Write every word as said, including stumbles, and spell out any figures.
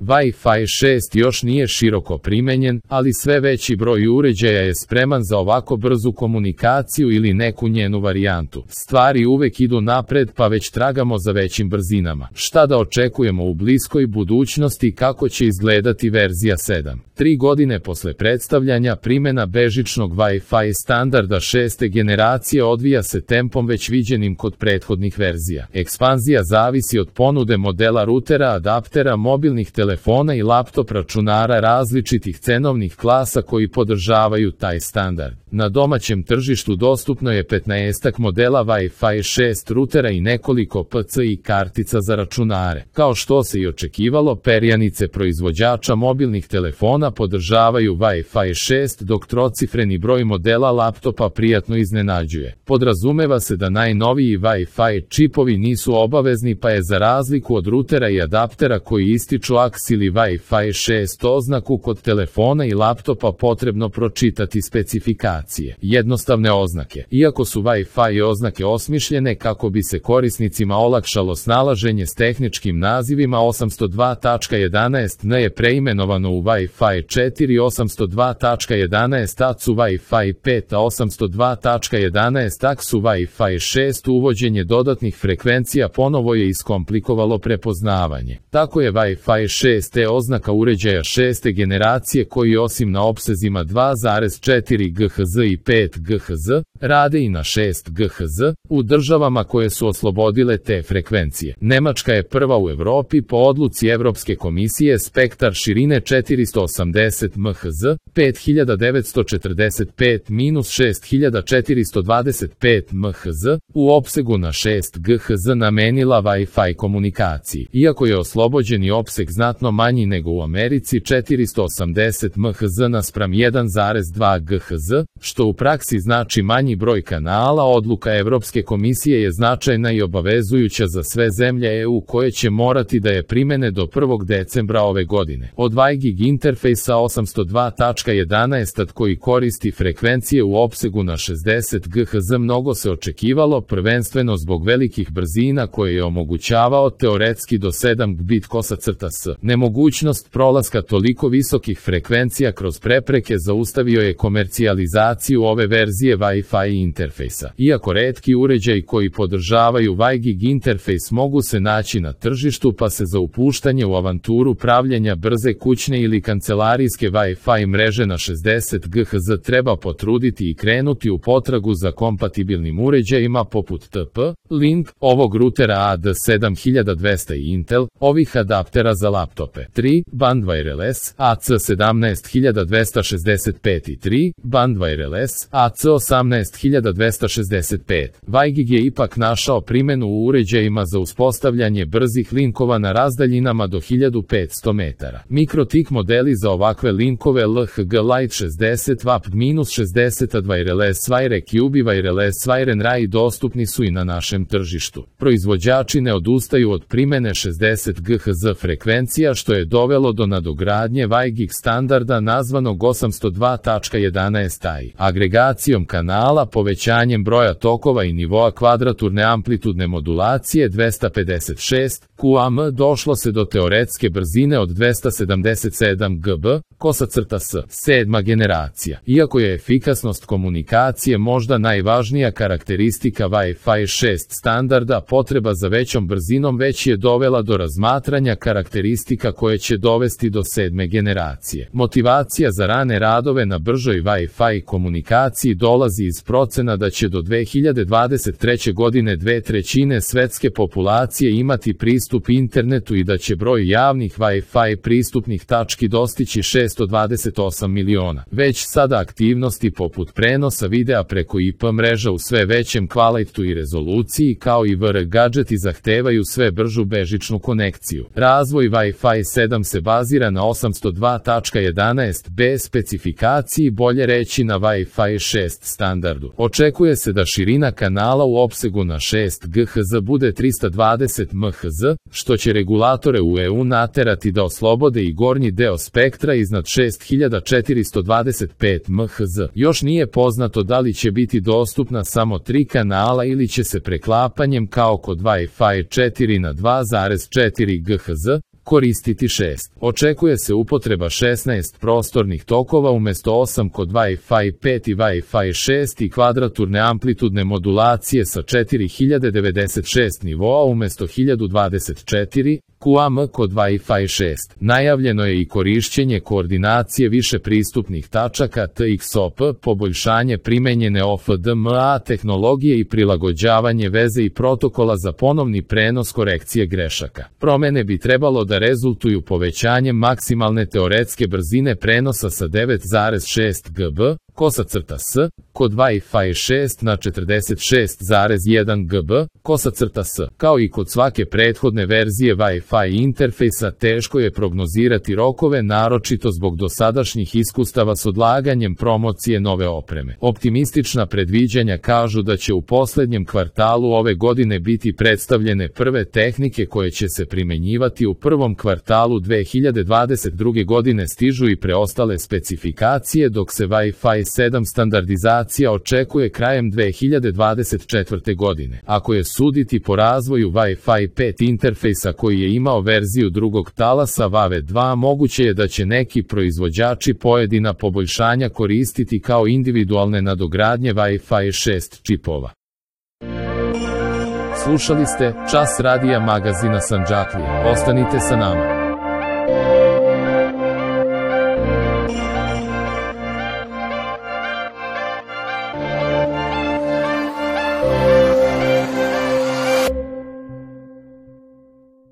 Wi-Fi šest još nije široko primenjen, ali sve veći broj uređaja je spreman za ovako brzu komunikaciju ili neku njenu varijantu. Stvari uvek idu napred, pa već tragamo za većim brzinama. Šta da očekujemo u bliskoj budućnosti, kako će izgledati verzija sedam? Tri godine posle predstavljanja, primjena bežičnog Wi-Fi standarda šeste generacije odvija se tempom već viđenim kod prethodnih verzija. Ekspanzija zavisi od ponude modela rutera, adaptera, mobilnih telefona i laptop računara različitih cenovnih klasa koji podržavaju taj standard. Na domaćem tržištu dostupno je petnaestak modela Wi-Fi šest rutera i nekoliko P C I kartica za računare. Kao što se i očekivalo, perjanice proizvođača mobilnih telefona podržavaju Wi-Fi šest, dok trocifreni broj modela laptopa prijatno iznenađuje. Podrazumeva se da najnoviji Wi-Fi čipovi nisu obavezni, pa je za razliku od rutera i adaptera koji ističu A K S ili Wi-Fi šest oznaku kod telefona i laptopa potrebno pročitati specifikacije. Jednostavne oznake. Iako su Wi-Fi oznake osmišljene kako bi se korisnicima olakšalo snalaženje s tehničkim nazivima, osamsto dva tačka jedanaest N je preimenovano u Wi-Fi četiri, osamsto dva tačka jedanaest A C U Wi-Fi pet, a osamsto dva tačka jedanaest A K S U Wi-Fi šest. Uvođenje dodatnih frekvencija ponovo je iskomplikovalo prepoznavanje. Tako je Wi-Fi šest E oznaka uređaja šeste generacije koji osim na opsezima dva zarez četiri G H Z i pet G H Z, rade i na šest G H Z, u državama koje su oslobodile te frekvencije. Nemačka je prva u Evropi po odluci Evropske komisije. Spektar širine četiristo osamdeset M H Z, pet hiljada devetsto četrdeset pet do šest hiljada četiristo dvadeset pet M H Z, u opsegu na šest G H Z namenila Wi-Fi komunikaciji. Iako je oslobođeni opseg znatno manji nego u Americi, četiristo osamdeset M H Z naspram jedan zarez dva G H Z, što u praksi znači manji broj kanala, odluka Evropske komisije je značajna i obavezujuća za sve zemlje E U koje će morati da je primene do prvog decembra ove godine. Od Wi G I interfejsa osamsto dva tačka jedanaest koji koristi frekvencije u opsegu na šezdeset G H Z mnogo se očekivalo, prvenstveno zbog velikih brzina koje je omogućavao teoretski do sedam gigabita s. Nemogućnost prolaska toliko visokih frekvencija kroz prepreke zaustavio je komercijalizaciju ove verzije Wi-Fi interfejsa. Iako retki uređaji koji podržavaju Wi G I interfejs mogu se naći na tržištu, pa se za upuštanje u avanturu pravljenja brze kućne ili kancelarijske Wi-Fi mreže na šezdeset G H Z treba potruditi i krenuti u potragu za kompatibilnim uređajima poput T P, Link, ovog rutera A D sedam hiljada dvesta i Intel, ovih adaptera za laptope. tri. Band Wireless, A C sedamnaest hiljada dvesta šezdeset pet i tri. Band Wireless, A C osamnaest hiljada dvesta šezdeset pet. Wi G I je ipak našao primjenu u uređajima za uspostavljanje brzih linkova na razdaljinama do hiljadu petsto metara. MikroTik modeli za ovakve linkove L H G Lite šezdeset watt šezdeset A Wireless Wire Q B Wireless Wire R A I dostupni su i na našem tržištu. Proizvođači ne odustaju od primjene šezdeset G H Z frekvencija, što je dovelo do nadogradnje Wi G I standarda nazvanog osamsto dva tačka jedanaest I. Agregacijom kanala, povećanjem broja tokova i nivoa kvadraturne amplitudne modulacije dvesta pedeset šest Q A M došlo se do teoretske brzine od dvesta sedamdeset sedam gigabita s. Sedma generacija. Iako je efikasnost komunikacije možda najvažnija karakteristika Wi-Fi šest standarda, potreba za većom brzinom već je dovela do razmatranja karakteristika koje će dovesti do sedme generacije. Motivacija za rane radove na bržoj Wi-Fi komunikaciji dolazi iz procena da će do dve hiljade dvadeset treće godine dve trećine svetske populacije imati pristup internetu i da će broj javnih Wi-Fi pristupnih tački dostići šessto dvadeset osam miliona. Već sada aktivnosti poput prenosa videa preko I P mreža u sve većem kvalitetu i rezoluciji kao i V R gadžeti zahtevaju sve bržu bežičnu konekciju. Razvoj Wi-Fi sedam se bazira na osamsto dva tačka jedanaest B specifikaciji, bolje reći na Wi-Fi šest standardu. Očekuje se da širina kanala u opsegu na šest G H Z bude trista dvadeset M H Z, što će regulatore u E U naterati da oslobode i gornji deo spektra iznad šest hiljada četiristo dvadeset pet M H Z. Još nije poznato da li će biti dostupna samo tri kanala ili će se preklapanjem kao kod Wi-Fi četiri na dva zarez četiri G H Z koristiti šest. Očekuje se upotreba šesnaest prostornih tokova umjesto osam kod Wi-Fi pet i Wi-Fi šest i kvadraturne amplitudne modulacije sa četiri hiljade devedeset šest nivoa umjesto hiljadu dvadeset četiri Q A M kod Wi-Fi šest. Najavljeno je i korišćenje koordinacije više pristupnih tačaka T X O P, poboljšanje primenjene O F D M A tehnologije i prilagođavanje veze i protokola za ponovni prenos korekcije grešaka. Promene bi trebalo da rezultuju povećanjem maksimalne teoretske brzine prenosa sa devet zarez šest gigabajta kosa crta s kod Wi-Fi šest na četrdeset šest zarez jedan gigabajta kosa crta s. Kao i kod svake prethodne verzije Wi-Fi interfejsa, teško je prognozirati rokove, naročito zbog dosadašnjih iskustava s odlaganjem promocije nove opreme. Optimistična predviđanja kažu da će u poslednjem kvartalu ove godine biti predstavljene prve tehnike koje će se primenjivati u prvom kvartalu dve hiljade dvadeset druge. godine stižu i preostale specifikacije, dok se Wi-Fi sedam standardizacija očekuje krajem dve hiljade dvadeset četvrte. godine. Ako je suditi po razvoju Wi-Fi pet interfejsa koji je imao verziju drugog talasa V A V E dva, moguće je da će neki proizvođači pojedina poboljšanja koristiti kao individualne nadogradnje Wi-Fi šest čipova. Slušali ste Čas radija magazina Sandžaklija. Ostanite sa nama.